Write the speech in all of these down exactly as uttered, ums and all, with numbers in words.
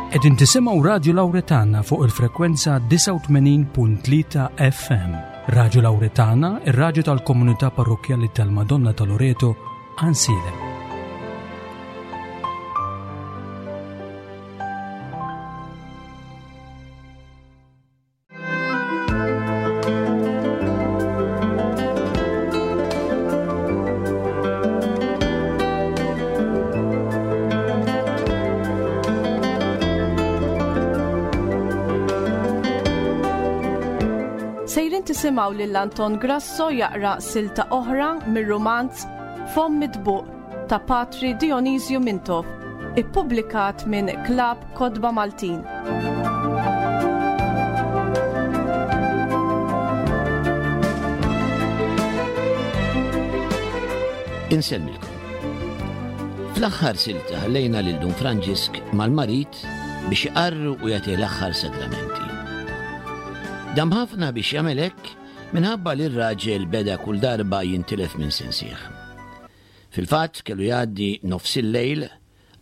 Qegħdin tisimgħu Radju Lawretana fuq il-frekwenza disgħa u tmenin punt tlieta F M. Radju Lawretana, ir-radju tal-komunità parrokkjali tal-Madonna ta' Loreto, Għajnsielem. Sejrin tisimgħu lil Anton Grasso jaqra silta oħra mir-rumanz Fomm Mitbuq ta' Patri Dionisju Mintoff, ippubblikat minn Klabb Kotba Maltin. Insellmilkom. Fl-aħħar silta ħallejna lil Dun Franġisk mal-marid biex iqarru u jagħti l-aħħar sagramenti. Dam ħafna biex jagħmel hekk minħabba li r-raġel beda kull darba jintilef minn sensih. Fil-fatt kellu jgħaddi nofs il-lejl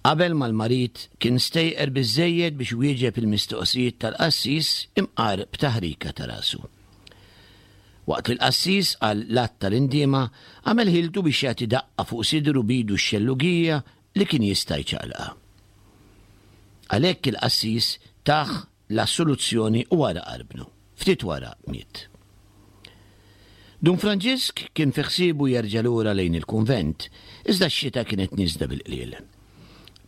qabel ma l-marid kien stejqer biżżejjed biex wieġeb il-mistoqsijiet tal-qassis imqar b'taħrika ta' rasu. Waqt li l-qassis għal l-att tal-indiema għamel ħiltu biex jagħti daqqa fuq sidru bidu x-xellugija li kien jista' jċaqlaqha. Għalhekk il-qassis taħ l-assoluzzjoni u wara qarbnu. Ftit wara miet. Dun Franġisk kien fi ħsiebu jerġa' lura lejn il-kunvent, iżda x-xita kienet nieżla bil-qliel.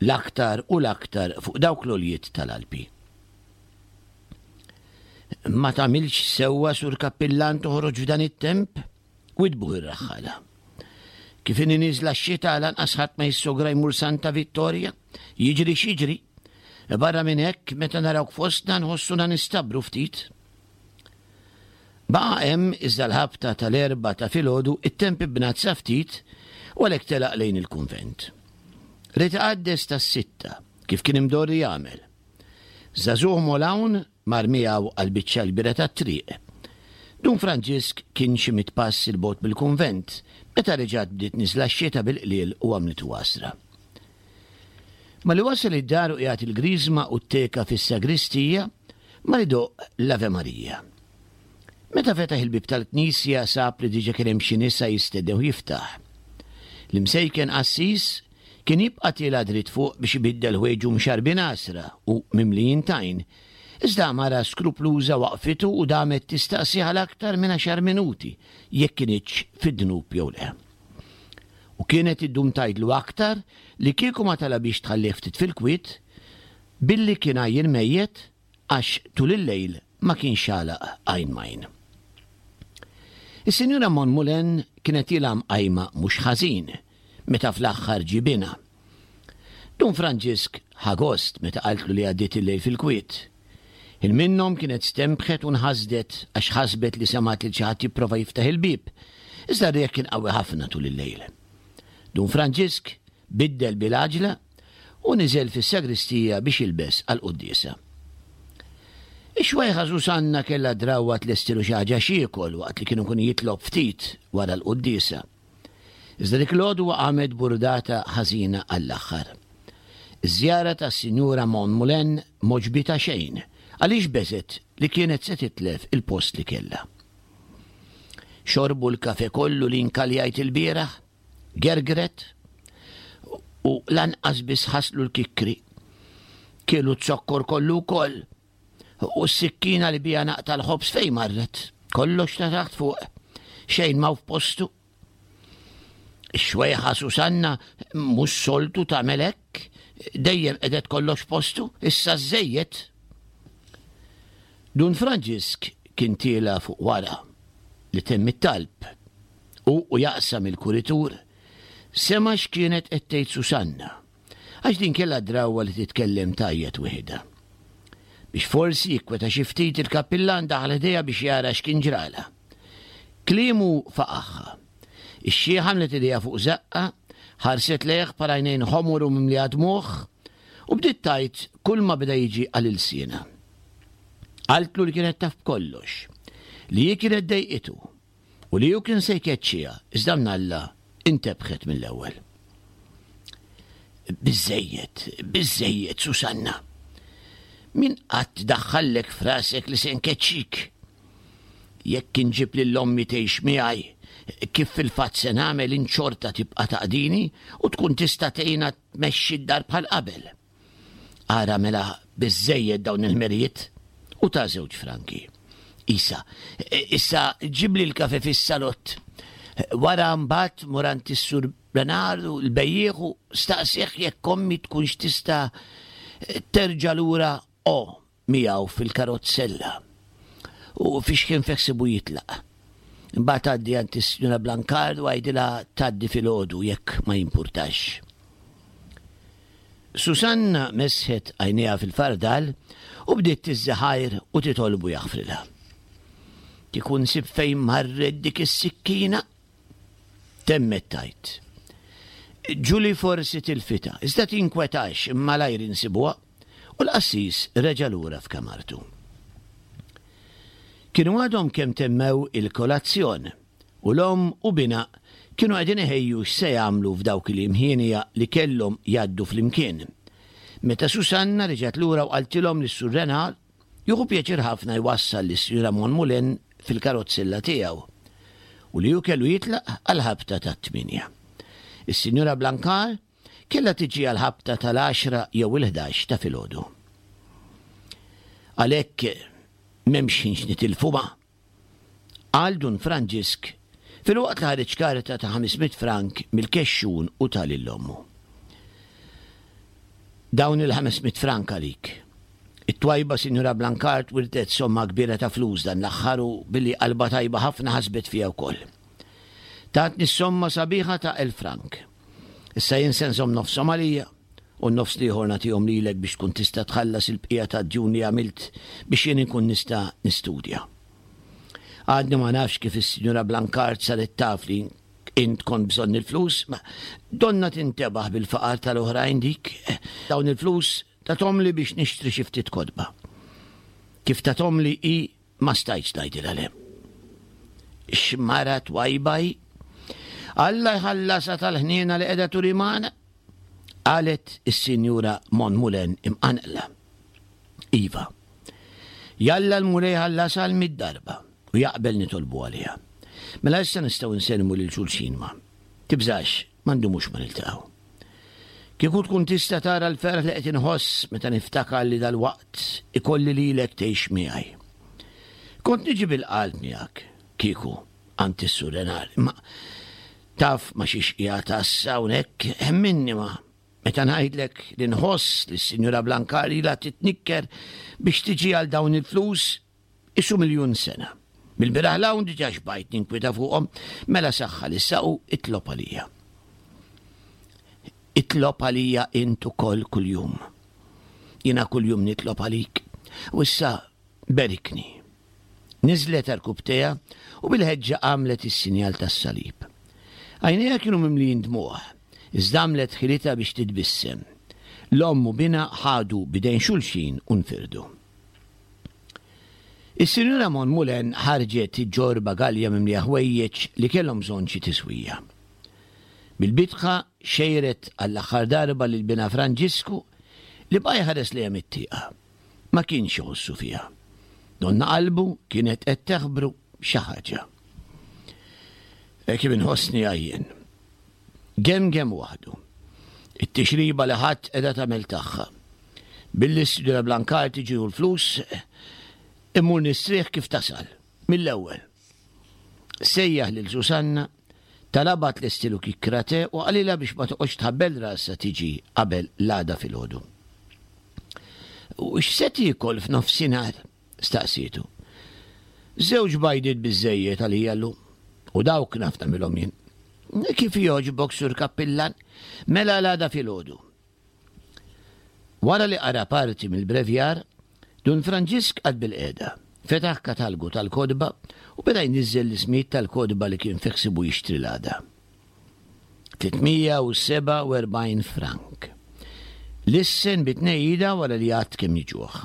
L-aktar u l-aktar fuq dawk l-għoljiet tal-Alpi. Ma tagħmilx sewwa sur kappillan toħroġ f'dan it-temp? Widbuh ir-raħħala. Kif inhi nieżla x-xita lanqas ħadd ma jissogra jmur Santa Vittoria, jiġri x'jiġri. Barra minn hekk meta narawk fostna nħossuna nistabru ftit. Baqa' hemm iżda l-ħabta tal-erba' ta' filgħodu it-temp ibnazza ftit u għalhekk telaq lejn il-kunvent. Ried iqaddes tas-sitta kif kien imdorri jagħmel. Żagħżugħ Molawn mar miegħu għal biċċa l-kbira tat-triq. Dun Franġisk kien xi mitt pass il bogħod mill-kunvent meta reġgħet bdiet niżla x-xita bil-qliel u għamlitu għasra. Ma li wasal id-dar u qiegħed il-griżma u t-teka fis-sagristija ma li doq l-Ave Maria. Meta fetaħ il-bib tal-knisja sab li diġa kien hemm xi nisa jistennew jiftaħ. L-imsejken qassis kien jibqa' tiela' dritt fuq biex ibiddel ħwejġu mxarbin għasra u mimlijin tajn. Iżda mara skrupluża waqfitu u damet tistaqsi għal aktar minn għaxar minuti jekk kinitx fid-dnub jew le. U kienet iddum tgħidlu aktar li kieku ma talabix tħallih ftit fil-kwiet billi kien għajjien mejjet għax tul il-lejl ma kienx għalaq għajn majn. Is-Sinjura Monmulen kienet ilha mqajma mhux ħażin meta fl-aħħar ġibina. Dun Franġisk ħa gost meta qaltlu li għaddiet il-lejl fil-kwiet. Il minnhom kienet stembħet u nħasdet għax ħasbet li semgħet lil xi ħadd jipprova jiftaħ il-bieb, iżda r-riħ kien qawwi ħafna tul il-lejl. Dun Franġisk biddel bil-għaġla u niżel fis-sagristija biex jilbes għall-quddiesa. Ix-xwejħa Susanna kellha drawwa tlestilu xi ħaġa xiekol waqt li kienu kun jitlob ftit wara l-quddiesa. Iżda dik l-għodwa qamet burdata ħażina għall-aħħar. Iż-żjara tas-Sinjura Monmulen m'għoġbitha xejn għaliex beżet li kienet se titlef il-post li kellha. Xorbu l-kafe kollu li nkaljajt il-bieraħ, gergret, u lanqas biss ħaslu l-kikri. Kielu z-zokkor kollu wkoll, u s-sikkina li bija naqta l-ħobż fejn marret, kollox ta' taħt fuq, xejn ma f'postu. Ix-xwejħa Susanna mhux soltu tagħmel hekk, dejjem qedet kollox postu, issa żejjed. Dun Franġisk kien tiela fuq wara li temm it-talb u, u jaqsam il-kuritur, sema x'kienet qed tgħid Susanna, għax din kellha drawwa li titkellem tajjeb wieħda. Biex forsi jikkweta xi ftit il-kappillan daħal ħdejha biex jara x'kien ġralha. Kliemu faqaħħa. Ix-xieħa għamlet idejha fuq żaqqa, ħarset lejh bħal għajnejn ħomor u mimlija dmugħ, u bdiet tgħid kull ma beda jiġi għal ilsienha. Qaltlu li kienet taf b'kollox, li hi kienet dejqitu u li hu kien se jkeċċiha, iżda mnalla intebħet mill-ewwel. Biżżejjed, biżżejjed, Susanna. Min qatt daħħallek f'rasek li se nkeċċik? Jekk inġib lil ommi tgħix miegħi, kif fil-fatt se nagħmel int xorta tibqa' taqdini u tkun tista' tgħinha tmexxi d-dar bħal qabel. Ara mela biżżejjed dawn il-ħmerijiet u ta żewġ franki. Isa, issa ġibli l-kafe fis-salott. Wara mbagħad mur għand is-Sur Bernardu l-bejjiegħ u staqsih jekk ommi tkunx tista' terġa' lura o miegħu fil-karozzella u fiex kien feksibu jitlaq. Imbagħad għaddi għand is-Sinjura Blancard u għidilha tgħaddi filgħodu jekk ma jimpurtax. Susanna mesħet għajnejha fil-fardal u bdiet tiżżaħajr u titolbu jaħfrilha. Kieku nsib fejn marret dik is-sikkina? Temmet tgħid. Ġuli forsi tilfitha, iżda tinkwetax malajr insibuha u l-qassis reġa' lura f'kamartu. Kienu għadhom kemm temmew il-kolazzjon u l-omm u binha kienu qegħdin iħejju x'se jagħmlu f'dawk il-jiem hienja li kellhom jgħaddu flimkien. Meta Susanna reġgħet lura u qaltilhom li s-Sur Renard jieħu pjaċir ħafna jwassal lis-Sinjura Monmoulin fil-karozzella tiegħu u li hu kellu jitlaq għall-ħabta tat-tmienja. Is-Sinjura Blancard kellha tiġi għall-ħabta tal-għaxra jew il-ħdax ta' filgħodu. Għalhekk m'hemmx ħin x'nitilfu ma', qal Dun Franġisk filwaqt li ħareġ karta ta' ħames mitt frank mill-kexxun u ta lil ommu. Dawn il-ħames mitt frank għalik. It-twajba Sinjura Blancard wirtet somma kbira ta' flus dan l-aħħar u billi qalbha tajba ħafna ħasbet fija wkoll. Tatni s-somma sabiħa ta' elf frank. Issa jien se nżomm nofshom għalija u n-nofs l-ieħor nagħtihom lilek biex tkun tista' tħallas il-bqija tad-djun li għamilt biex jien inkun nista' nistudja. Għadni ma nafx kif is-Sinjura Blancard saret taf li int kont bżonn il-flus, ma donna tintebaħ bil-faqar tal-oħrajn dik. Dawn il-flus tathomli biex nixtri xi ftit kotba. Kif tathomli hi ma stajtx ngħidilha le. X'mara twajba hi! Alla jħallasha tal-ħniena li qiegħda turi magħna, qalet is-Sinjura Monmoulin imqanqla. Iva. Jalla l-Mulej ħallasha għal mitt darba u jaqbel nitolbu għaliha. Mela issa nistgħu nsellmu lil xulxin ma. Tibżax, ma ndumux ma niltaqgħu. Kieku tkun tista' tara l-ferħ li qed inħoss meta niftakar li dalwaqt ikolli lilek tgħix miegħi. Kont niġi bil-qalb miegħek, kieku, għand is-Sur Renard, imma taf ma xiex qiegħed assa hawnhekk hemminni ma meta ngħidlek li nħoss li s-Sinjura Blancard ilha titnikker biex tiġi għal dawn il-flus isu miljun sena. Mill-bieraħ 'l hawn diġà xbajt ninkwieta fuqhom, mela saħħa li saqu itlob għalija. Itlob għalija int ukoll kuljum. Jiena kuljum nitlob għalik. U issa berikni. Niżlet għarkupptejha u bil-ħeġġa għamlet is-sinjal tas-salib. Għajnejha kienu mimlijin dmugħ, iżda għamlet ħilitha biex titbissem. L-omm u binha ħadu b'idejn xulxin u nfirdu. Is-Sinjura Monmoulin ħarġet iġġorr bagalja mimlija ħwejjeġ li kellhom bżonn xi tiswija. Bil-bitħa xejret għall-aħħar darba lil binha Franġisku li baqa' jħares lejha mit-tieqa. Ma kienx iħossu fiha. Donna qalbu kienet qed teħbru xi ħaġa. Kif inħossni għajjien. Gemgem waħdu. It-tixriba li ħadd qiegħda tagħmel tagħha. Billi s-Sinjura Blancard tiġi u l-flus, immur nistrieħ kif tasal, mill-ewwel. Sejjaħ lil Susanna, talabha tlestilu kikkra te u qalilha biex ma toqgħodx tħabbel rasha tiġi qabel l-għada filgħodu. U x'se tiekol f'nofsinhar? staqsietu. Żewġ bajdiet biżżejjed għalija llum, u dawk naf nagħmilhom jien. Kif jogħġbok, Sur Kappillan, mela l-għada filgħodu. Wara li qara parti mill-brevjar, Dun Franġisk qagħad bilqiegħda, fetaħ katalgu tal-kotba u beda jniżżel l-ismijiet tal-kotba li kien fi ħsiebu jixtri l-għada. Tliet mija u sebgħa u erbgħin frank. Lissen bi tnejjida wara li għadd kemm jiġuh.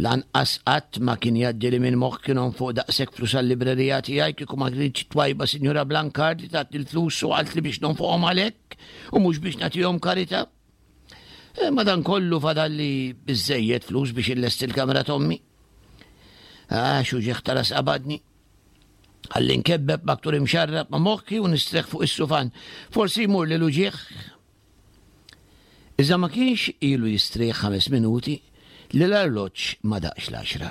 Lanqas qatt ma kien jgħaddili minn moħħ kien nonfoq daqshekk flus għal-librerija tiegħi kieku ma kinitx it-twajba Sinjura Blancard li tatni l-flus u qaltli biex nonfoqhom għalhekk u mhux biex nagħtihom karità. Madankollu fadalli biżżejjed flus biex illesti l-kamra t'ommi. Ah, x'uġigħ ta' ras qabadni. Ħalli nkebbeb maktur imxarrab ma' moħħi u nistrieħ fuq is-sufan. Forsi jmur li l-uġigħ. Iżda ma kienx ilu jistrieħ ħames minuti li l-arloġġ ma daqx l-għaxra.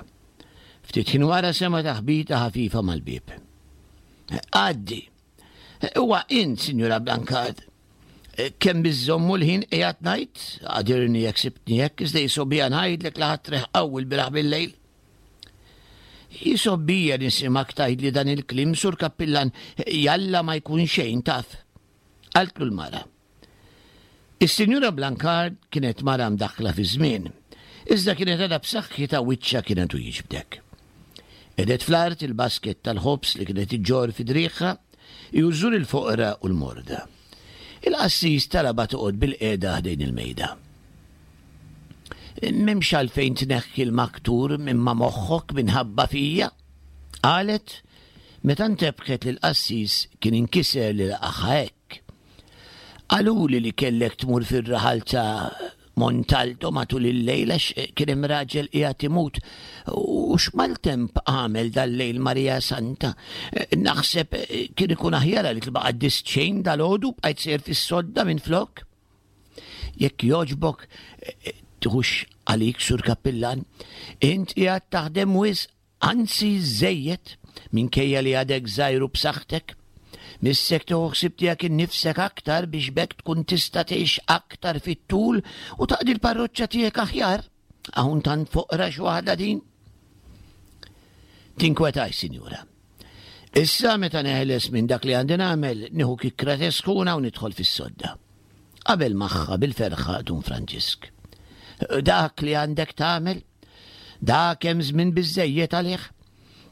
Ftit ħin wara sema' taħbita ħafifa mal-bieb. Għaddi. Huwa int, Sinjura Blancard. Kemm biżżommu l-ħin qiegħed ngħid, għadirni jekk sibtni hekk, iżda jisgħobbija ngħidlek li ħadt riħ qawwi l-bieraħ bil-lejl. Jisgħobbija nisimgħek tgħidli dan il-kliem, Sur Kappillan, jalla ma jkun xejn taf. Qaltlu l-mara. Is-Sinjura Blancard kienet mara mdaħħla fi żmien, iżda kienet għadha b'saħħitha wiċċha kien għadu jiġbdek. Qegħdet fl-art il-basket tal-ħobż li kienet iġġorr fi driegħha, iżżur il-foqra u l-morda. Il-qassis talabha toqgħod bil-qiegħda ħdejn il-mejda. M'hemmx għalfejn tneħħi l-maktur minn ma' moħħok minħabba fija, qalet meta ntebħet li l-qassis kien inkiser li laqagħha hekk. Qaluli li kellek tmur fir-raħal ta' Montalto matul il-lejl għax kien hemm raġel qiegħed imut. U x'maltemp għamel dal-lejl Marija Santa. Naħseb kien ikun aħjar għalik li ma qaddist xejn dal-għodu bqajt sejjer fis-sodda minflok. Jekk jogħġbok tiħux għalik Sur Kappillan, int qiegħed taħdem wisq, anzi żejjed, minkejja li għadek żgħir u b'saħħtek. Missek tieħu ħsieb tiegħek innifsek aktar biex b'hekk tkun tista' tgħix aktar fit-tul u taqdi l-parroċċa tiegħek aħjar. Hawn tant foqra x'waħda din. Tinkwetax, sinjura. Issa meta neħles minn dak li għandi nagħmel, nieħu kikkra te sħuna u nidħol fis-sodda. Qabel magħha bil-ferħa Dun Franġisk. Dak li għandek tagħmel, dak hemm żmien biżżejjed għalih.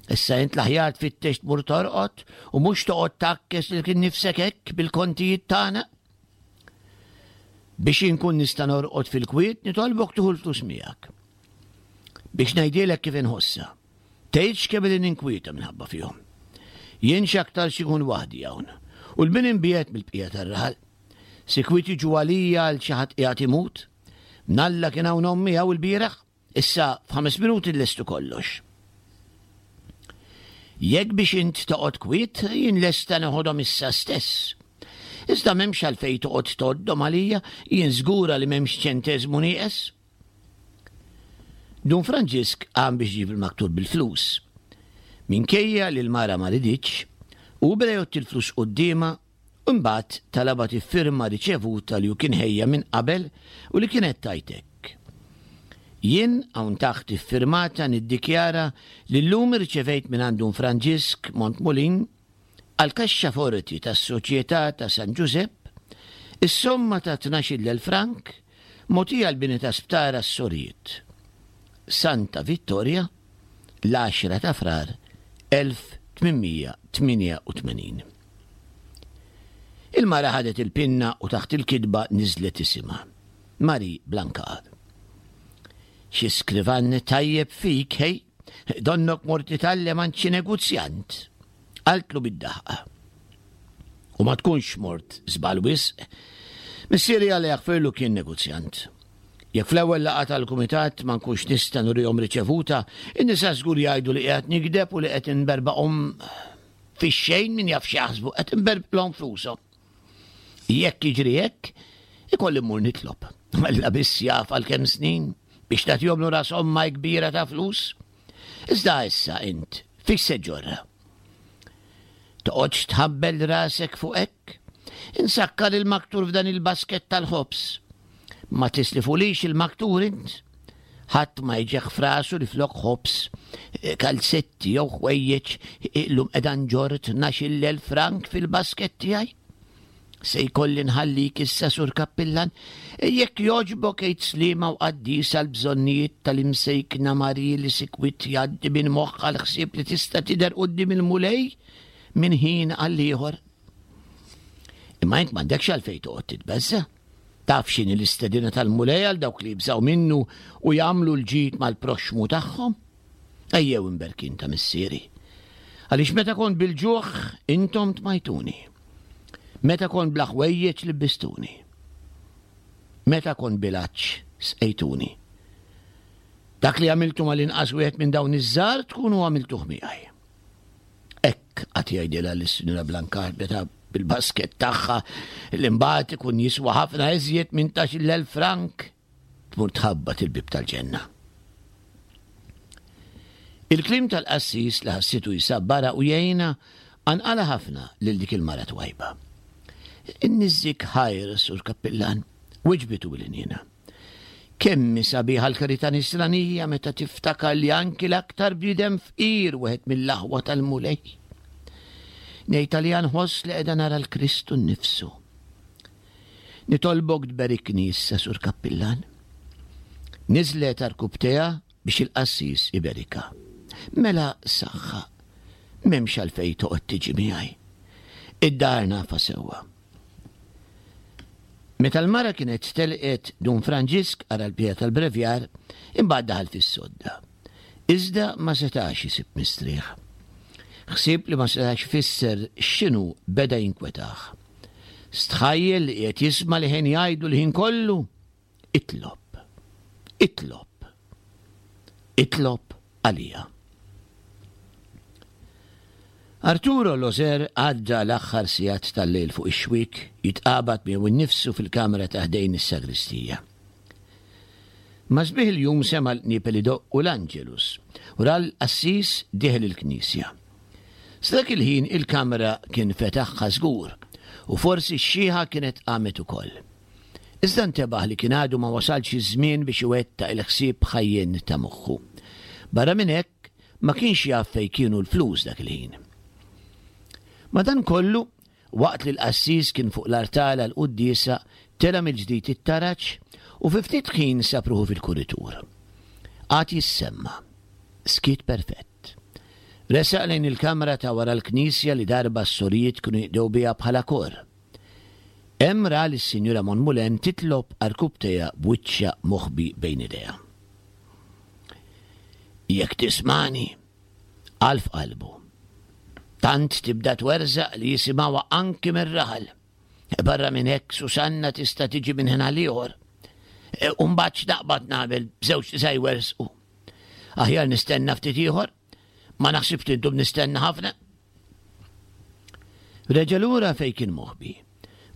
Issa int l-aħjar tfittex tmur torqod u mhux toqgħod takkes lilek innifsek hekk bil-kontijiet tagħna. Biex inkun nista' norqod fil-kwiet nitolbok tieħu l-flus miegħek. Biex ngħidilek kif inħossha. Tgħidx kemm qegħdin ninkwieta minħabba fihom. Jien x'aktar xi nkun waħdi hawn u l-min imbiegħed mill-bqija tar-raħal. Sikwit jiġu għalija għal xi ħadd qiegħed imut. Mnalla kien hawn ommi hawn il-bieraħ, issa f'ħames minuti nlestu kollox. Jekk biex int toqgħod kwiet, jien lesta neħodhom issa stess. Iżda m'hemmx għalfejn toqgħod tgħoddhom għalija, jien żgura li m'hemmx ċenteżmu nieqes. Dun Franġisk qam biex iġib il-maktur bil-flus. Minkejja li l-mara ma riditx, u beda jgħodd il-flus quddiemha u mbagħad talabha tiffirma riċevuta li hu kien ħejja minn qabel u li kienet tgħid hekk. Jien hawn taħt iffirmata niddikjara li llum irċevejt minn għand Dun Franġisk Montmulin għal kaxxa forti tas-Soċjetà ta' San Ġużepp is-somma ta' tnax-il elf frank mogħtija l-bini ta' sptar għas-sorijiet. Santa Vittoria, l-għaxra ta' Frar, elf tmien mija tmienja u tmenin. Il-mara ħadet il-pinna u taħt il-kitba niżlet isimha. Marie Blancard. Xi skrivan tajjeb fik, hej, donnok mort titgħallem għand xi negozjant. Qaltlu bid-daħqa. U ma tkunx mort żball wisq. Missieri Alla jaħfirlu kien negozjant. Jekk fl-ewwel laqgħa tal-kumitat ma nkunx nista' nurihom riċevuta, in-nisa żgur jgħidu li qiegħed nigdeb u li qed inberbaqhom fix-xejn min jaf x'jaħsbu qed inberbqlhom flushom. Jekk jiġri hekk, ikolli mmur nitlob. Alla biss jaf għal kemm snin biex tagħtihom lura somma kbira ta' flus. Iżda issa int, fiex se ġorra? Toqgħodx tħabbel rasek fuq hekk? Insakkar il-maktur f'dan il-basket tal-ħobż. Ma tislifulix il-maktur int? Ħadd ma jġeħ frasu li flok ħobż, kalzetti jew ħwejjeġ illum qiegħda nġorr tnax-il elf frank fil-basket tiegħi? Se jkolli nħallik issa Sur Kappillan, jekk jogħġbok għid sliema u qaddis għal bżonnijiet tal-imsejkna Marie li sikwit jgħaddi minn moħħha l-ħsieb li tista' tidher quddiem il-Mulej minn ħin għal ieħor. Imma int m'għandekx għalfejn toqgħod titbeżża'. Taf x'inhi l-istedina tal-Mulej għal dawk li jibżgħu minnu u jagħmlu l-ġid mal-proxxmu tagħhom? Ejjew imberkin ta' missieri. Għaliex meta kont bil-ġuħ intom tmajtuni. Meta kont bla ħwejjeġ libbistuni. Meta kont bil-għatx, sqejtuni. Dak li għamiltu mal-inqas wieħed minn dawn iż-żgħar tkunu għamiltuh miegħi. Hekk qagħad jgħidilha lis-Sinjura Blancard meta bil-basket tagħha li mbagħad ikun jiswa ħafna iżjed minn tnax-il elf frank tmur tħabbat il-bieb tal-ġenna. Il-kliem tal-qassis li ħassitu jsabbara u jgħinha qanqalha ħafna lil dik il-mara twajba. Inniżżik ħajr, Sur Kappillan, wiġbitu bil-ħniena. Kemm hi sabiħa l-karità nisranija meta tiftakar li anki l-aktar bniedem fqir wieħed mill-aħwa tal-Mulej. Ngħid għalija nħoss li qiegħda nara l-Kristu nnifsu. Nitolbok tberikni issa, Sur Kappillan. Niżlet għarkupptejha biex il-qassis iberikha. Mela saħħa, m'hemmx għalfejn toqgħod tiġi miegħi. Id-dar nafha sewwa. Meta l-mara kienet telqet Dun Franġisk qara l-bqija tal-brevjar, imbagħad daħal fis-sodda. Iżda ma setax isib mistrieħ. Ħsieb li ma setax ifisser x'inhu beda jinkwetah. Stħajjel li qiegħed jisma' leħen jgħidlu l-ħin kollu, Itlob, itlob, itlob għalija. Arturo Loser għadda l-aħħar sigħat tal-lejl fuq ix-xwiek jitqabad miegħu nnifsu fil-kamra ta' ħdejn is-sagristija. Ma' sbieħ il-jum sema' l-qniepel idoqqu l-Angelus u ra l-qassis dieħel il-knisja. Sa dak il-ħin il-kamra kien fetaħha żgur u forsi x-xiħa kienet qamet ukoll. Iżda ntebaħ li kien għadu ma wasalx iż-żmien biex iwettaq il-ħsieb ħajjien ta' moħħu. Barra minn hekk, ma kienx jaf fejn kienu l-flus dak il-ħin. Madankollu, waqt li l-qassis kien fuq l-artal għall-quddiesa, tela' mill-ġdid it-taraġ u fi ftit ħin sab ruħu fil-kuritur. Qagħad jissemma'. Skiet perfett. Resaq lejn il-kamra ta' wara l-knisja li darba s-sorijiet kienu jinqdew biha bħala kor. Hemm ra lis-Sinjura Monmoulin titlob għarkupptejha b'wiċċha moħbi bejn idejha. Jekk tismagħni, qal f'qalbu. Tant tibda twerżaq li jisimgħuha anki mir-raħal. Barra minn hekk Susanna tista' tiġi minn ħin għal ieħor. E, u mbagħad x'naqbad nagħmel b'żewġ nisa jwerżqu. Aħjar nistenna ftit ieħor, ma naħsibx li ndum nistenna ħafna. Reġa' lura fejn kien moħbi.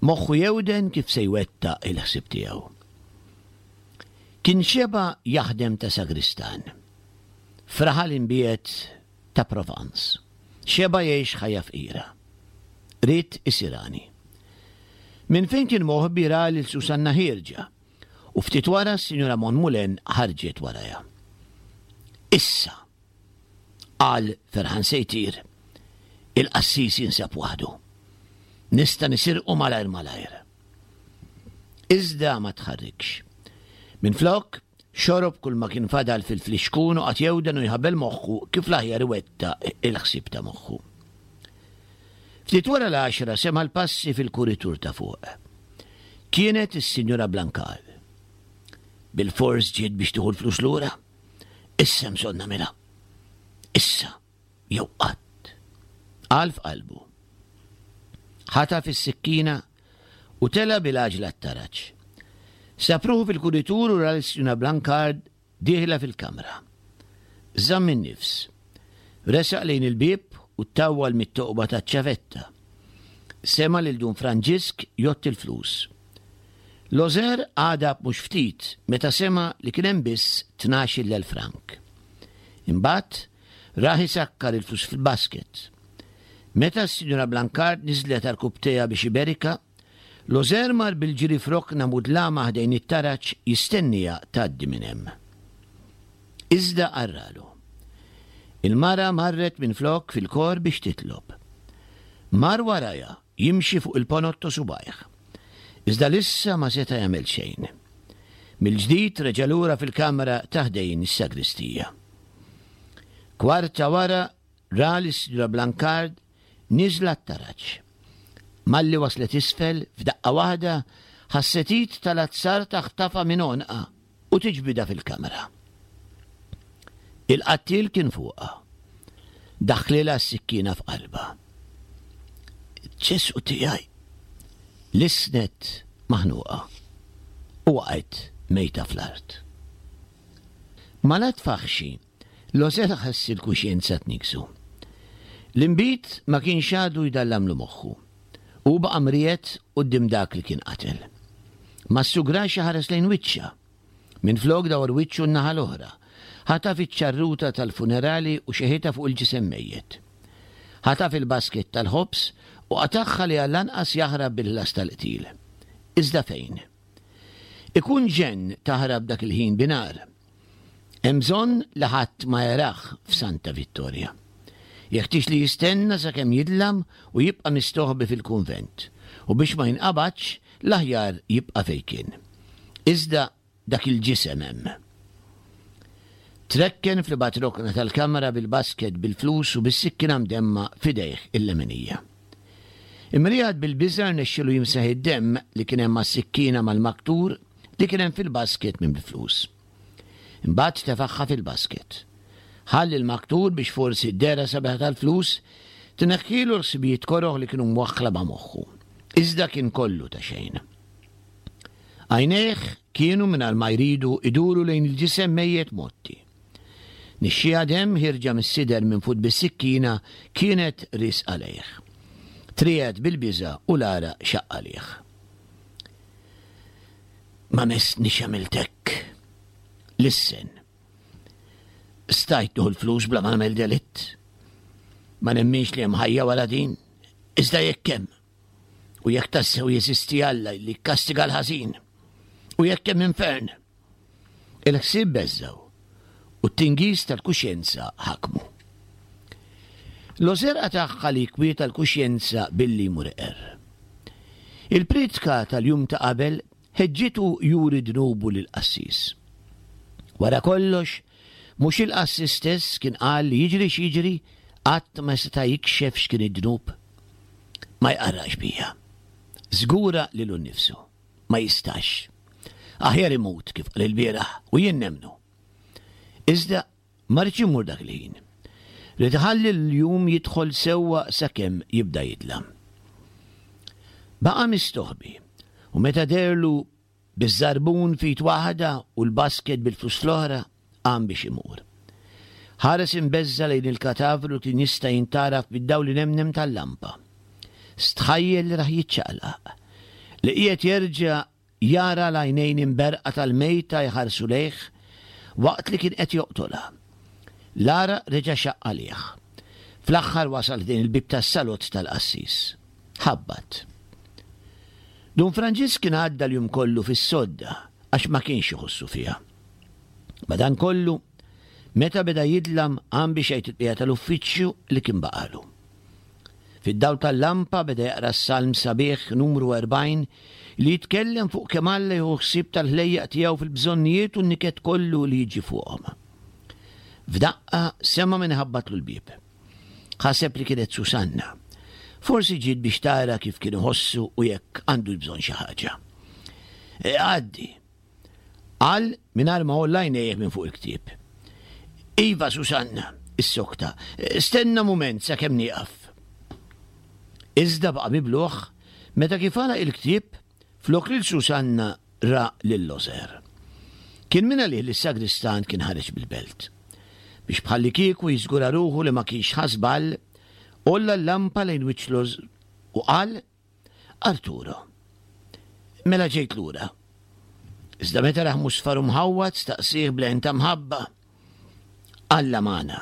Moħħu jewden kif se jwettaq il-ħsieb tiegħu. Kien xeba' jaħdem ta' sagristan. F'raħal imbiegħed ta' Provence. Xeba' jgħix ħajja fqira. Ried isir għani. Minn fejn kien moħbi ra lil Susanna ħierġa u ftit wara s-Sinjura Monmoulin ħarġet warajha. Issa, qal ferħan se jtir, il-qassis jinsab waħdu. Nista' nisirqu malajr malajr. Iżda ma tħarrikx. Minflok, xorob kull ma kien fadal fil-flixkun u qagħad jewden u jħabbel moħħu kif l-aħjar iwettaq il-ħsieb ta' moħħu. Ftit wara l-għaxra sema' l-passi fil-kuritur ta' fuq. Kienet is-Sinjura Blancard. Bilfors ġiet biex tieħu l-flus lura. Issa bżonn nagħmilha. Issa jew qatt. Qal f'qalbu. Ħataf is-sikkina u tela' bil-għaġla t-taraġ. Sab ruħu fil-kuritur u ra lis-Sinjura Blancard dieħla fil-kamra. Żamm in-nifs. Resaq lejn il-bieb u ttawwal mit-toqba taċ-ċavetta. Sema' lil Dun Franġisk jgħodd il-flus. Lozer għadab mhux ftit meta sema' li kien hemm biss tnax-il elf frank. Imbagħad rah isakkar il-flus fil-basket. Meta s-Sinjura Blancard niżlet għarkupptejha biex iberikha, Lozer mar bil-ġiri f'rokna mudlama ħdejn it-taraġ jistenniha tgħaddi minn hemm. Iżda qarralu. Il-mara marret minflok fil-kor biex titlob. Mar warajha jimxi fuq il-ponot ta' subgħajh. Iżda l'issa ma seta' jagħmel xejn. Mill-ġdid reġa' lura fil-kamra ta' ħdejn is-sagristija. Kwarta wara ra lis-Sinjura Blancard nieżla t-taraġ. Malli waslet isfel, f'daqqa waħda, ħasset id tal-azzar taħtafha minn għonqha u tiġbidha fil-kamra. Il-qattiel kien fuqha. Daħħlilha s-sikkina f'qalbha. Ġesù tiegħi! Lissnet maħnuqa. u waqgħet mejta fl-art. Mal-att faħxi, Loser ħass il-kuxjenza tniggżu. L-inbid ma kienx għadu jdallamlu moħħu. U baqa' mriegħed quddiem dak li kien qatel. Ma ssugrax iħares lejn wiċċha. Minflok dawar wiċċu n-naħa l-oħra. Ħataf iċ-ċarruta tal-funerali u xeħitha fuq il-ġisem mejjet. Ħataf il-basket tal-ħobż u qatagħha li għall-anqas jaħrab bil-ħlas tal-qtil. Iżda fejn? Ikun ġenn taħrab dak il-ħin binhar. Hemm bżonn li ħadd ma jarah f'Santa Vittoria. Jeħtieġ li jistenna sakemm jidlam u jibqa' mistoħbi fil-kunvent, u biex ma jinqabadx, l-aħjar jibqa' fejn kien. Iżda dak il-ġisem hemm. Trekken fl-ibgħad rokna tal-kamra bil-basket bil-flus u bis-sikkina mdemma f'idejh il-leminija. Imriegħed bil-biża' rnexxielu jimsaħ id-demm li kien hemm mas-sikkina mal-maktur li kien hemm fil-basket minn bil-flus. Imbagħad tefagħha fil-basket. Ħall il-maktur biex forsi d-dehra sabiħa tal-flus tneħħilu l-ħsibijiet koroh li kienu mwaħħla ma' moħħu. Iżda kien kollu ta' xejn. Għajnejh kienu mingħajr ma jridu iduru lejn il-ġisem mejjet mgħotti. Nixxiegħa demm ħierġa mis-sider minfud bis-sikkina kienet riesqa lejh. Triegħed bil-biża' u l-għaraq xaqq għalih. Ma messnix għamilt hekk. Lissen. Stajt nieħu l-flus bla ma nagħmel delitt. Ma nemminx li hemm ħajja wara din, iżda jekk hemm. U jekk tassew jeżisti Alla li jikkastiga l-ħażin. U jekk hemm infern. Il-ħsieb beżżgħu u t-tingiż tal-kuxjenza ħakmu. L-ożerqa tagħha li jkwieta l-kuxjenza billi jmur iqerr. Il-priedka tal-jum ta' qabel ħeġġitu juri dnubu lill-qassis. Wara kollox, mhux il-qassis stess kien qal li jiġri x'jiġri qatt ma seta' jikxef x'kien id-dnub? Ma jqarraqx bija. Żgura lilu nnifsu. Ma jistax. Aħjar imut kif qal ilbieraħ u jien nemmnu. Iżda ma ridx imur dak il-ħin. Ried iħalli l-jum jidħol sewwa sakemm jibda jidlam. Baqa' mistoħbi u meta deherlu biż-żarbun f'id waħda u l-basket bil-flus fl-oħra, qam biex imur. Ħares imbeżża' lejn il-katavru li kien jista' jintgħaraf bid-dawl inemnem tal-lampa. Stħajjel li rah jiċċaqlaq, li qiegħed jerġa' jara l-għajnejn imberrqa tal-mejta jħarsu lejh waqt li kien qed joqtolha. L-għaraq reġa' xaqq għalih. Fl-aħħar wasal ħdejn il-bieb tas-salott tal-qassis. Ħabbat. Dun Franġisk kien għadda l-jum kollu fis-sodda għax ma kienx iħossu fiha. Madankollu, meta beda jidlam qam biex jgħid il-bqija tal-uffiċċju li kien baqalu. Fid-dawl tal-lampa beda jaqra s-salm sabiħ numru erbgħin li jitkellem fuq kemm Alla jieħu ħsieb tal-ħlejjaq tiegħu fil-bżonnijiet u n-niket kollu li jiġi fuqhom. F'daqqa sema' min iħabbatlu l-bieb. Ħaseb li kienet Susanna. Forsi ġiet biex tara kif kien iħossu u jekk għandu bżonn xi ħaġa. E, għaddi. Qal mingħajr ma għolla għajnejh minn fuq il-ktieb. Iva, Susanna, issokta, stenna mument sakemm nieqaf. Iżda baqa' mibluh meta kif għalaq il-ktieb, flok lil Susanna ra lil Loser. Kien minn għalih li s-sagristan kien ħareġ mill-belt. Biex bħallikieku jiżgura ruħu li ma kienx ħa żball, għolla l-lampa lejn wiċċ Loser u qal, Arturo, mela ġejt lura. Iżda meta rah musfar u mħawwad staqsieh b'leħen ta' mħabba, Alla magħna.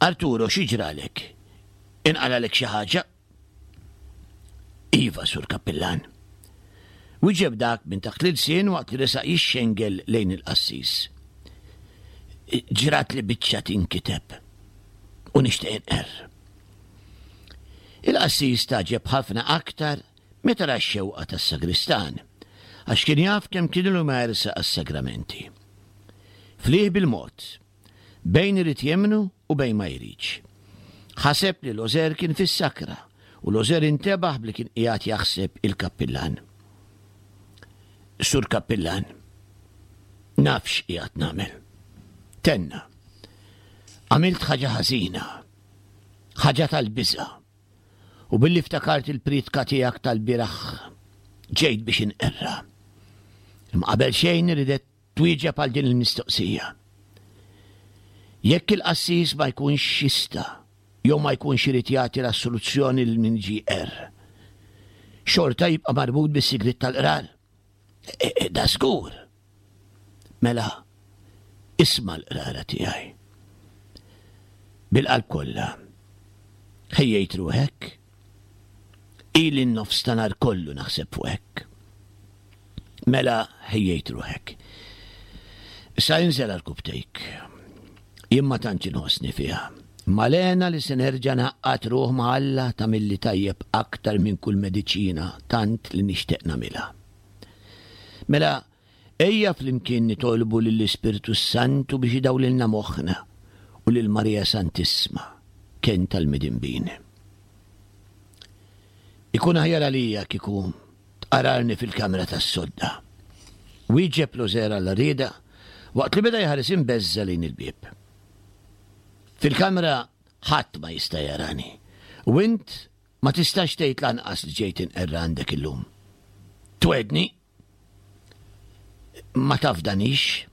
Arturo, xi ġralek? Inqalalek xi ħaġa? Iva, Sur Kappillan. Wieġeb dak minn taħt l-ilsien waqt li resaq jixxengel lejn il-qassis. Ġrat li biċċa tinkiteb u nixtieq inqerr. Il-qassis tagħġeb ħafna aktar meta ra x-xewqa tas-sagristan, għax kien jaf kemm kien ilu ma jersaq għas-sagramenti. Flieh bil-mod, bejn irid jemmnu u bejn ma jridx. Ħaseb li Loser kien fis-sakra u Loser intebaħ bli kien qiegħed jaħseb il-kappillan. Sur Kappillan, naf x'qiegħed nagħmel. Tenna. Għamilt ħaġa ħażina, ħaġa tal-biża'. U billi ftakart il-priedka tiegħek tal-bieraħ ġejt biex inqerra. Imma qabel xejn ridet twieġeb għal din il-mistoqsija. Jekk il-qassis ma jkunx jista' jew ma jkunx irid jagħti l-assoluzzjoni lil min ġie qerr, xorta jibqa' marbut bis-sigriet tal-qrar. E, e, da żgur. Mela, isma' l-qrara tiegħi. Bil-qalb kollha. Ħejjejt ruħek? Ili n-nofs ta' nhar kollu naħseb fuq hekk. Mela ħejjejt ruħek. Issa inżel għarkupptejk. Jien ma tantx inħossni fiha. Imma l-hena li se nerġa' ngħaqqad ruħ ma' Alla tagħmilli tajjeb aktar minn kull mediċina tant li nixtieq nagħmilha. Mela, ejja flimkien nitolbu lill-Ispirtu s-Santu biex idawlilna moħħna u lil Marija Santissma, kenn tal-midinbin. Ikun aħjar għalija kieku tqararni fil-kamra tas-sodda. Wieġeb Loser għall-għarrieda waqt li beda jħares imbeżża' lejn il-bieb. Fil-kamra ħadd ma jista' jarani u int ma tistax tgħid lanqas li ġejt inqerra għandek illum. Twegħedni? Ma tafdanix?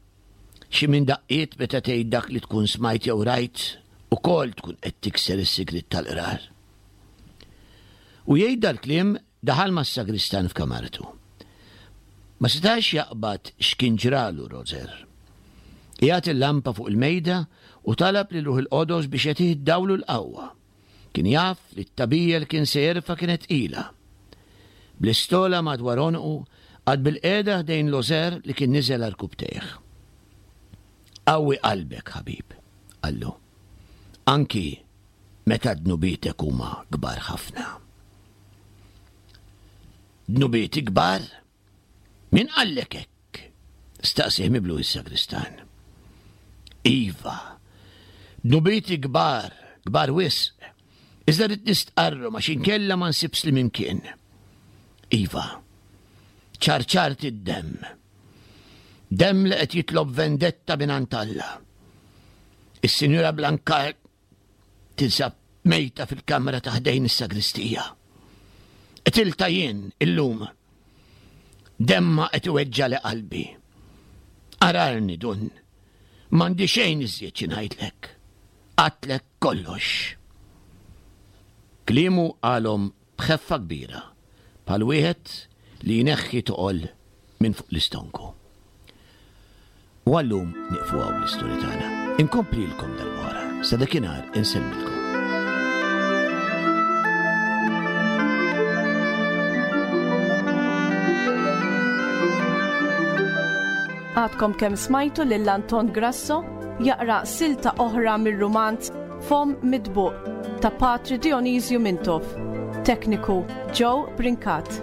Xi minn daqqiet meta tgħid dak li tkun smajt jew rajt, ukoll tkun qed tikser is-sigriet tal-qrar. U jgħid dal-kliem daħal mas-sagristan f'kamartu. Ma setax jaqbad x'kien ġralu Roger. Qiegħed il-lampa fuq il-mejda u talab lil Ruħ il-Qodos biex jagħtih id-dawl u l-qawwa. Kien jaf li t-tagħbija li kien se jerfa' kienet tqila. Bl-istola madwar għonqu, qagħad bilqiegħda ħdejn Loser li kien niżel għarkupptejh. Qawwi qalbek, ħabib, qallu, anki meta dnubietek huma kbar ħafna. Dnubieti kbar? Min qallek hekk? staqsieh mibluh is-sagristan. Iva, dnubieti kbar, kbar wisq. Iżda rrid nistqarrhom għax inkella ma nsib sliem imkien. Iva, ċarċart id-demm. Demm li qed jitlob vendetta mingħand Alla. Is-Sinjura Blancard tinsab mejta fil-kamra ta' ħdejn is-sagristija. Qtiltha jien illum. Demma qed iweġġali qalbi. Ararni dun. M'għandi xejn iżjed xi ngħidlek. Għadtlek kollox. Kliemu qalhom b'ħeffa kbira, bħal wieħed li jneħħi toqol minn fuq l-istonku. U għallum nieqfu hawn bl-istorja tagħna. Inkomplilkom darb'oħra. Sa dakinhar insellmilkom. Għadkom kemm smajtu lil Anton Grasso jaqra silta oħra mir-rumanz Fomm Mitbuq ta' Patri Dionisju Mintoff. Tekniku Joe Brincat.